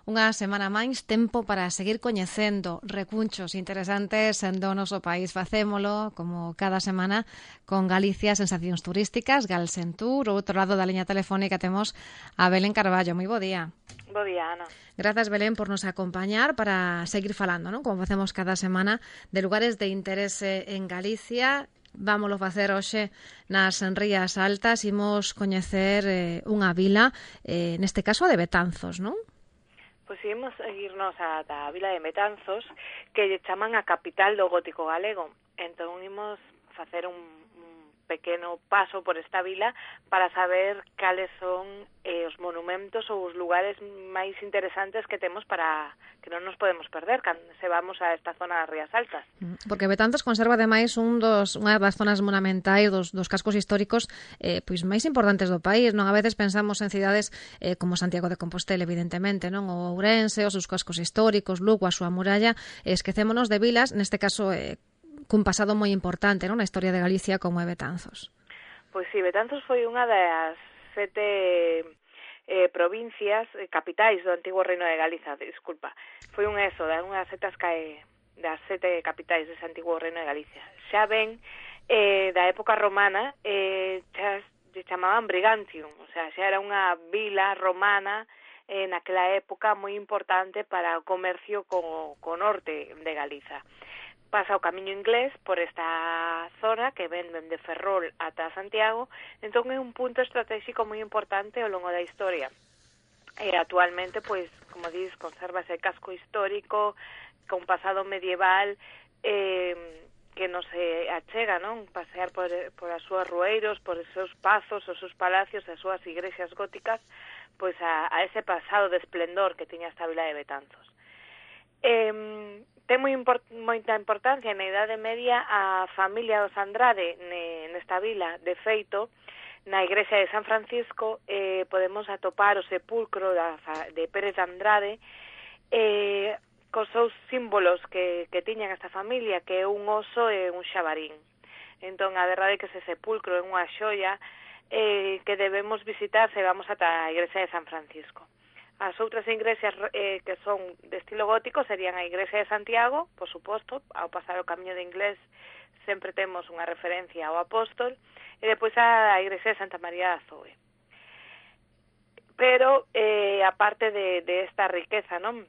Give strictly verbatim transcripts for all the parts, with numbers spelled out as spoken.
Unha semana máis, tempo para seguir coñecendo recunchos interesantes do noso país. Facémolo, como cada semana, con Galicia Sensacións Turísticas, Galsentur. Ao outro lado da liña telefónica temos a Belén Carballo. Moi bo día. Bo día, Ana. Grazas, Belén, por nos acompañar para seguir falando, non? Como facemos cada semana, de lugares de interese en Galicia. Vámolo facer hoxe nas Rías Altas. Imos coñecer eh, unha vila, eh, neste caso a de Betanzos, non? Pois imos irnos a da vila de Betanzos, que lle chaman a capital do gótico galego. Entón imos facer un, un pequeno paso por esta vila para saber cales son eh, os monumentos ou os lugares máis interesantes que temos para que non nos podemos perder cando se vamos a esta zona das Rías Altas. Porque Betanzos conserva ademais un dos, unha das zonas monumentais dos, dos cascos históricos eh, pois máis importantes do país, non? A veces pensamos en cidades eh, como Santiago de Compostela, evidentemente, non? O Ourense, os seus cascos históricos, Lugo, a súa muralla, eh, esquecémonos de vilas, neste caso eh, cun pasado moi importante, non? Na historia de Galicia como é Betanzos. Pois si, Betanzos foi unha das sete eh, provincias, eh, capitais do antigo Reino de Galiza, disculpa. Foi un eso, da unhas setas cae das sete capitais dese antigo Reino de Galicia. Xa ven, eh, da época romana, eh, xa se chamaban Brigantium, o sea, xa era unha vila romana eh, naquela época moi importante para o comercio co, co norte de Galiza. Pasa o camiño inglés por esta zona que ven de Ferrol ata Santiago, entón é un punto estratégico moi importante ao longo da historia. E actualmente, pois, como dis, conserva ese casco histórico con pasado medieval eh, que non se achega, non? Pasear por, por as súas rueiros, por os seus pazos, os seus palacios, as súas igrexas góticas, pois a, a ese pasado de esplendor que tiña esta vila de Betanzos. Eh, ten moi import, moita importancia na Idade Media a familia dos Andrade ne, nesta vila. De feito, na igrexa de San Francisco eh, podemos atopar o sepulcro da, de Pérez de Andrade eh, cos seus símbolos que, que tiñan esta familia, que é un oso e un xabarín. Entón, a verdade é que ese sepulcro é unha xoia eh, que debemos visitar se vamos ata a igrexa de San Francisco. As outras igrexas eh, que son de estilo gótico serían a igrexa de Santiago, por suposto, ao pasar o camiño de inglés sempre temos unha referencia ao apóstol, e depois a igrexa de Santa María da Zoe. Pero, eh, aparte de, de esta riqueza, non?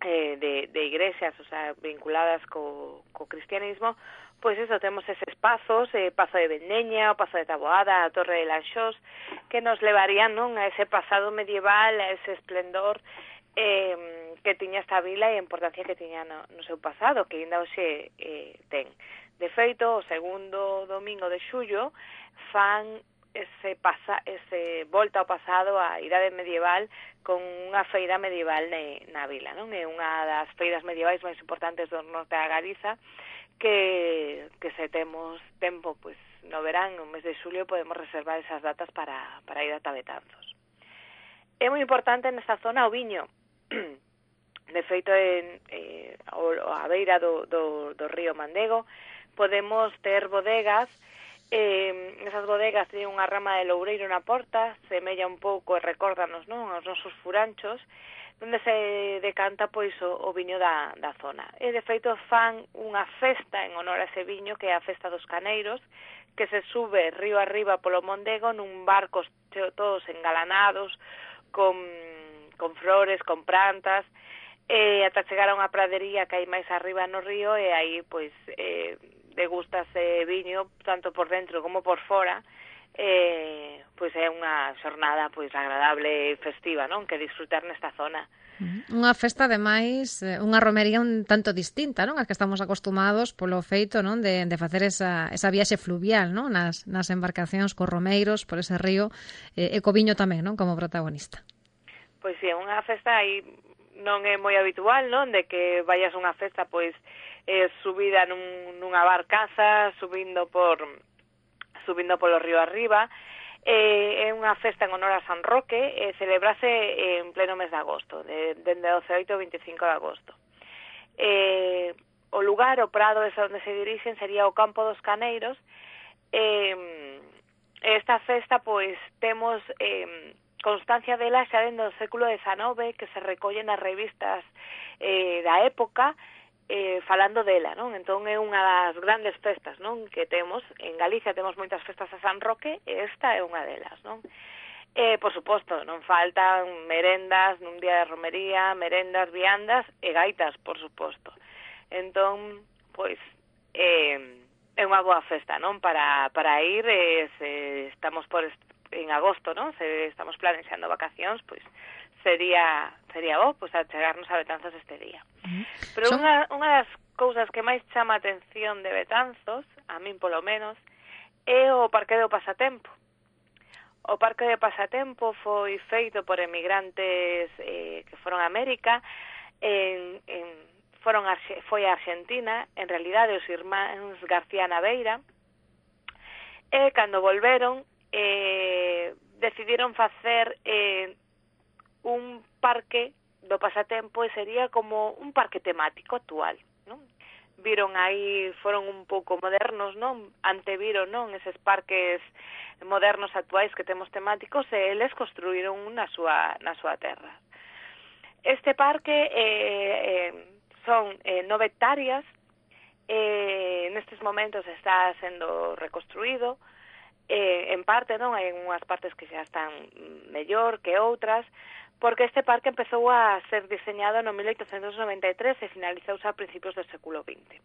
Eh, de, de igrexas, o sea, vinculadas co, co cristianismo, pois eso, temos eses pazos, eh, Pazo de Vendeña, o Pazo de Taboada, a Torre de Lanxós, que nos levarían, non, a ese pasado medieval, a ese esplendor eh, que tiña esta vila e a importancia que tiña no, no seu pasado, que ainda hoxe eh, ten. De feito, o segundo domingo de xullo fan ese pasa ese volta ao pasado á idade medieval con unha feira medieval ne, na vila, non? É unha das feiras medievais máis importantes do norte da Galiza, que, que se temos tempo, pois, no verán, no mes de xulio, podemos reservar esas datas para, para ir ata Betanzos. É moi importante nesta zona o viño. De feito, en, eh, a beira do, do, do río Mandego, podemos ter bodegas. Eh, esas bodegas teñen unha rama de loureiro na porta, semella un pouco e recórdanos, non, os nosos furanchos, onde se decanta pois o, o viño da, da zona. E de feito fan unha festa en honor a ese viño, que é a Festa dos Caneiros, que se sube río arriba polo Mondego nun barcos todos engalanados, con, con flores, con plantas, e ata chegar a unha pradería que hai máis arriba no río, e aí pois eh, degústase viño tanto por dentro como por fora. Eh, pois é unha xornada pois agradable e festiva, non? Que disfrutar nesta zona. Unha festa, ademais, unha romería un tanto distinta, non? As que estamos acostumados polo feito, non? De, de facer esa, esa viaxe fluvial, non? Nas, nas embarcacións cos romeiros por ese río, eh, e co viño tamén, non? Como protagonista. Pois si, é unha festa aí non é moi habitual, non? De que vayas a unha festa, pois, eh, subida nun, nunha barcaza, subindo por... subindo polo río arriba. Eh, é unha festa en honor a San Roque, e eh, celebrase en pleno mes de agosto, de, dende o dezaoito ao veinticinco de agosto. Eh, o lugar, o prado ese onde se dirixen, sería o Campo dos Caneiros. Eh, esta festa, pois, temos eh, constancia dela xa dentro do século dezenove, que se recollen nas revistas eh, da época, eh, falando dela, non? Entón é unha das grandes festas, non? Que temos, en Galicia temos moitas festas a San Roque, e esta é unha delas, non? Eh, por suposto, non faltan merendas nun día de romería, merendas, viandas e gaitas, por suposto. Entón, pois, eh, é unha boa festa, non? Para, para ir, eh, se estamos por en agosto, non? Se estamos planexando vacacións, pois sería sería bo, pois, achegarnos a Betanzos este día. Uh-huh. Pero Son... unha, unha das cousas que máis chama a atención de Betanzos, a min polo menos, é o Parque do Pasatempo. O Parque de Pasatempo foi feito por emigrantes eh, que foron a América, en, en, foron a, foi a Argentina, en realidade os irmáns García Naveira, e cando volveron eh, decidiron facer eh, un parque do pasatempo e sería como un parque temático actual, non? Viron aí, foron un pouco modernos, non? Anteviron, non? Eses parques modernos actuais que temos temáticos e eles construíron na súa, na súa terra. Este parque eh, eh, son eh, nove hectáreas, eh, nestes momentos está sendo reconstruído, eh, en parte, non? Hai unhas partes que xa están mellor que outras, porque este parque empezou a ser diseñado no mil oitocentos noventa e tres e finalizouse a principios do século vinte.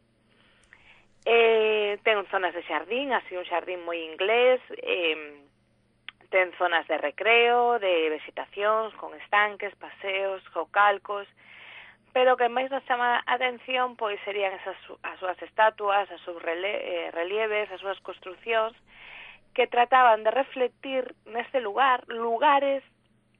Eh, ten zonas de xardín, así un xardín moi inglés, eh, ten zonas de recreo, de vegetacións, con estanques, paseos, geocalcos, pero o que máis nos chama a atención pois serían esas as súas estatuas, as súas rele, eh, relieves, as súas construcións, que trataban de reflectir neste lugar lugares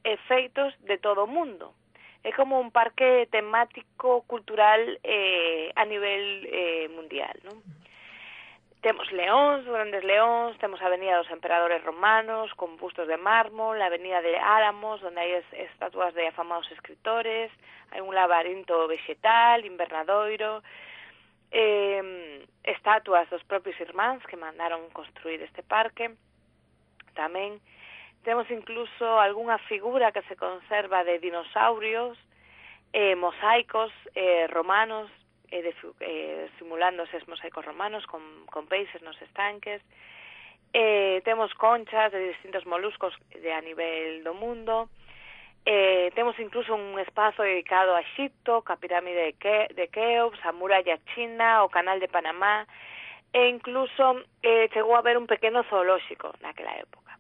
e feitos de todo o mundo. É como un parque temático cultural eh, a nivel eh, mundial, non? Temos leóns, grandes leóns, temos a Avenida dos Emperadores Romanos, con bustos de mármol, a Avenida de Álamos, onde hai estatuas de afamados escritores, hai un labarinto vegetal, invernadoiro, eh, estatuas dos propios irmáns que mandaron construir este parque. Tamén temos incluso algunha figura que se conserva de dinosaurios, eh, mosaicos eh, romanos, eh, de, eh, simulando esos mosaicos romanos con, con peixes nos estanques. Eh, temos conchas de distintos moluscos de a nivel do mundo. Eh, temos incluso un espazo dedicado a Egipto, a pirámide de, Ke de Keops, a muralla china, o canal de Panamá, e incluso eh, chegou a haber un pequeno zoolóxico naquela época.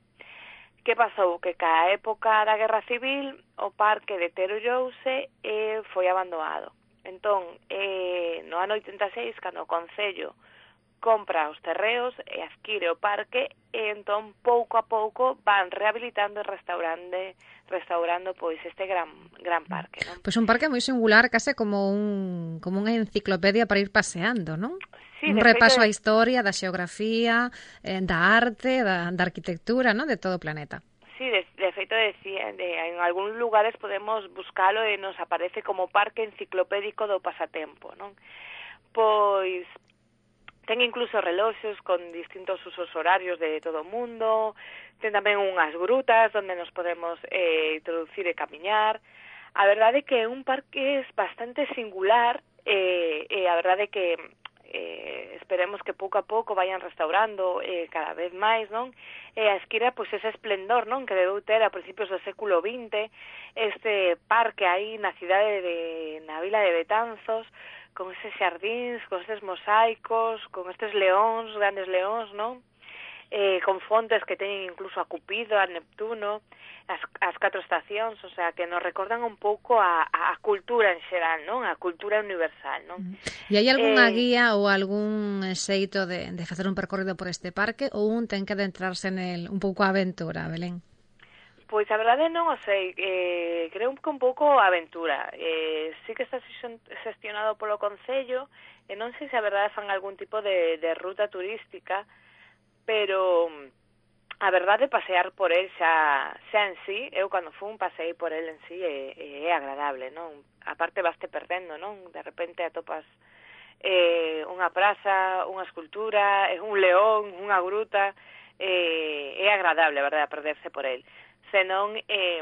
Que pasou? Que ca época da Guerra Civil o parque deterioreouse e foi abandonado. Entón, eh, no ano oitenta e seis, cando o Concello compra os terreos e adquire o parque, e entón pouco a pouco van rehabilitando e restaurando, restaurando pois este gran gran parque, non? Pois un parque moi singular, case como un como unha enciclopedia para ir paseando, non? Sí, un repaso á historia, da xeografía, eh, da arte, da, da arquitectura, ¿no? De todo o planeta. Sí, de, de feito, decía, de, en algúns lugares podemos buscalo e nos aparece como parque enciclopédico do pasatempo, non? Pois ten incluso reloxos con distintos usos horarios de todo o mundo, ten tamén unhas grutas onde nos podemos eh, introducir e camiñar. A verdade é que é un parque bastante singular e eh, eh, a verdade é que eh, esperemos que pouco a pouco vayan restaurando eh, cada vez máis, non? E a esquira, pois, ese esplendor, non? Que debeu ter a principios do século vinte, este parque aí na cidade de, na vila de Betanzos, con eses xardíns, con estes mosaicos, con estes leóns, grandes leóns, non? Eh, con fontes que teñen incluso a Cupido, a Neptuno, as, as catro estacións, o sea, que nos recordan un pouco a, a cultura en xeral, non? A cultura universal, non? E hai algunha eh, guía ou algún xeito de, de facer un percorrido por este parque ou un ten que adentrarse nel un pouco a aventura, Belén? Pois a verdade non o sei, eh, creo que un pouco a aventura. Eh, sí que está xestionado polo Concello, e non sei se a verdade fan algún tipo de, de ruta turística, pero a verdade pasear por el xa, xa en sí, eu cando fun pasei por el en sí é, é agradable, non? A parte vaste perdendo, non? De repente atopas eh, unha praza, unha escultura, un león, unha gruta, eh, é agradable, a verdade, a perderse por el. senón eh,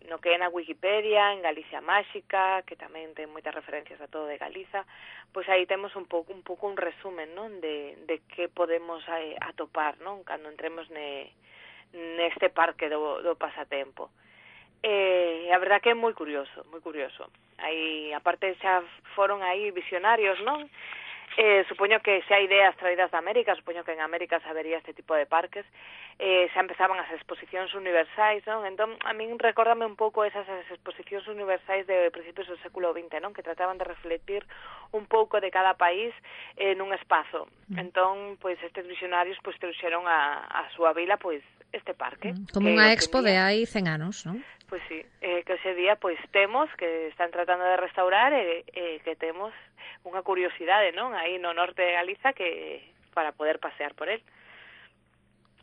no que é na Wikipedia, en Galicia Máxica, que tamén ten moitas referencias a todo de Galiza, pois aí temos un pouco un pouco un resumen, non, de de que podemos eh, atopar, non, cando entremos ne neste parque do do pasatempo. Eh, a verdad que é moi curioso, moi curioso. Aí, aparte xa foron aí visionarios, non? Eh, supoño que xa ideas traídas de América, supoño que en América se habería este tipo de parques, eh, xa empezaban as exposicións universais, non? Entón, a min recórdame un pouco esas exposicións universais de principios do século vinte, non? Que trataban de refletir un pouco de cada país en un espazo. Entón, pois, estes visionarios pois trouxeron a, a súa vila, pois, este parque. Como unha expo de hai cen anos, non? Pois sí, eh, que ese día pois temos que están tratando de restaurar e eh, que temos unha curiosidade, non? Aí no norte de Galiza que para poder pasear por él.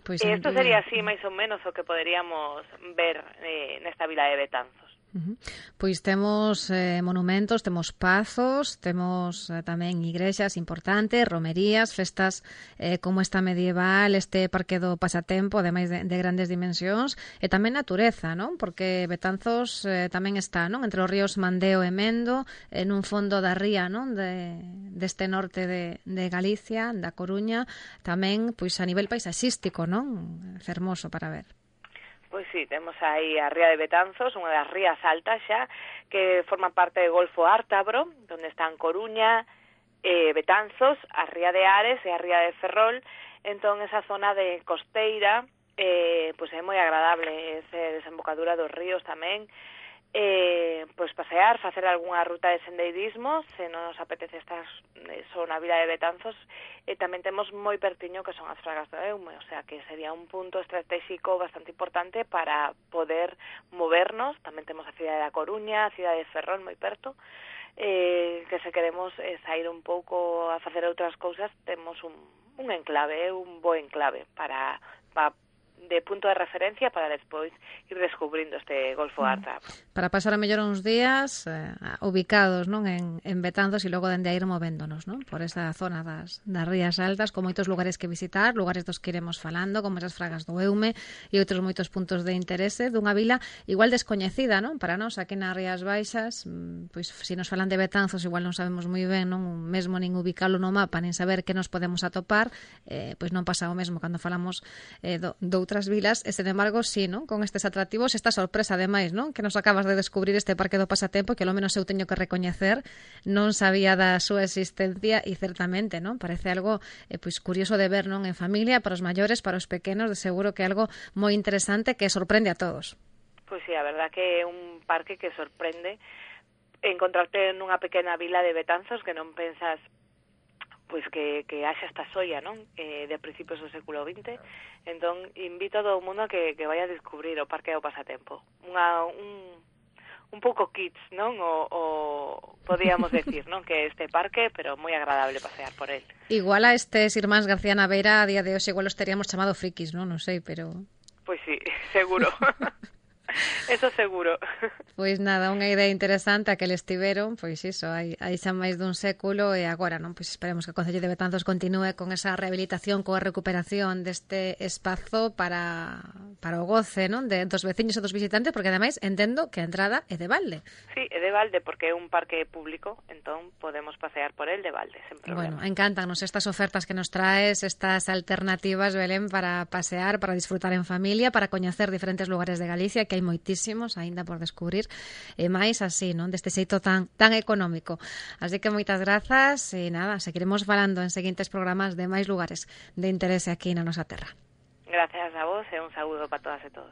Pois e isto sería así máis ou menos o que poderíamos ver eh, nesta vila de Betanzos. Uh-huh. Pois temos eh, monumentos, temos pazos, temos eh, tamén igrexas importantes, romerías, festas eh, como esta medieval, este parque do pasatempo, ademais de, de grandes dimensións, e tamén natureza, non? Porque Betanzos eh, tamén está, non? Entre os ríos Mandeo e Mendo, en un fondo da ría, non? De, deste norte de, de Galicia, da Coruña, tamén pois a nivel paisaxístico, non? Fermoso para ver. Pois sí, temos aí a ría de Betanzos, unha das rías altas xa, que forma parte do Golfo Ártabro, onde están Coruña, eh, Betanzos, a ría de Ares e a ría de Ferrol. Entón, esa zona de costeira, eh, pois é moi agradable, esa desembocadura dos ríos tamén. Eh, pois pasear, facer algunha ruta de sendeirismo, se non nos apetece estar só na vila de Betanzos, e tamén temos moi pertiño que son as Fragas do Eume, o sea que sería un punto estratégico bastante importante para poder movernos. Tamén temos a cidade da Coruña, a cidade de Ferrol moi perto, eh, que se queremos eh, sair un pouco a facer outras cousas, temos un, un enclave, un bo enclave para, para de punto de referencia para despois ir descubrindo este Golfo Ártabro. Para pasar a mellor uns días eh, ubicados, non, en, en Betanzos e logo dende a ir movéndonos, non, por esa zona das, das rías altas, con moitos lugares que visitar, lugares dos que iremos falando, como esas Fragas do Eume e outros moitos puntos de interese dunha vila igual descoñecida, non, para nós aquí nas Rías Baixas, pois se nos falan de Betanzos igual non sabemos moi ben, non, mesmo nin ubicalo no mapa, nin saber que nos podemos atopar, eh, pois non pasa o mesmo cando falamos eh, do, do outras vilas, e, sen embargo, sí, non? Con estes atractivos, esta sorpresa, ademais, non? Que nos acabas de descubrir este parque do pasatempo, que ao menos eu teño que recoñecer, non sabía da súa existencia e, certamente, non? Parece algo eh, pois curioso de ver, non? En familia, para os maiores, para os pequenos, de seguro que é algo moi interesante que sorprende a todos. Pois sí, a verdad que é un parque que sorprende encontrarte nunha pequena vila de Betanzos que non pensas pois que, que haxa esta soia, non? Eh, de principios do século vinte. Entón, invito a todo o mundo que, que vaya a descubrir o Parque do Pasatempo. Unha, un, un pouco kids, non? O, o podíamos decir, non? Que este parque, pero moi agradable pasear por él. Igual a estes irmáns García Naveira a día de hoxe igual os teríamos chamado frikis, non? Non sei, pero... Pois sí, seguro. Eso seguro. Pois nada, unha idea interesante a que eles tiveron, pois iso, hai, hai xa máis dun século e agora, non? Pois esperemos que o Concello de Betanzos continúe con esa rehabilitación, coa recuperación deste espazo para, para o goce, non? De, dos veciños e dos visitantes, porque ademais entendo que a entrada é de balde. Sí, é de balde porque é un parque público, entón podemos pasear por el de balde, sen problema. Bueno, encántanos estas ofertas que nos traes, estas alternativas, Belén, para pasear, para disfrutar en familia, para coñecer diferentes lugares de Galicia, que hai moitísimos aínda por descubrir, e máis así, non, deste xeito tan tan económico. Así que moitas grazas e nada, seguiremos falando en seguintes programas de máis lugares de interese aquí na nosa terra. Gracias a vos e un saúdo para todas e todos.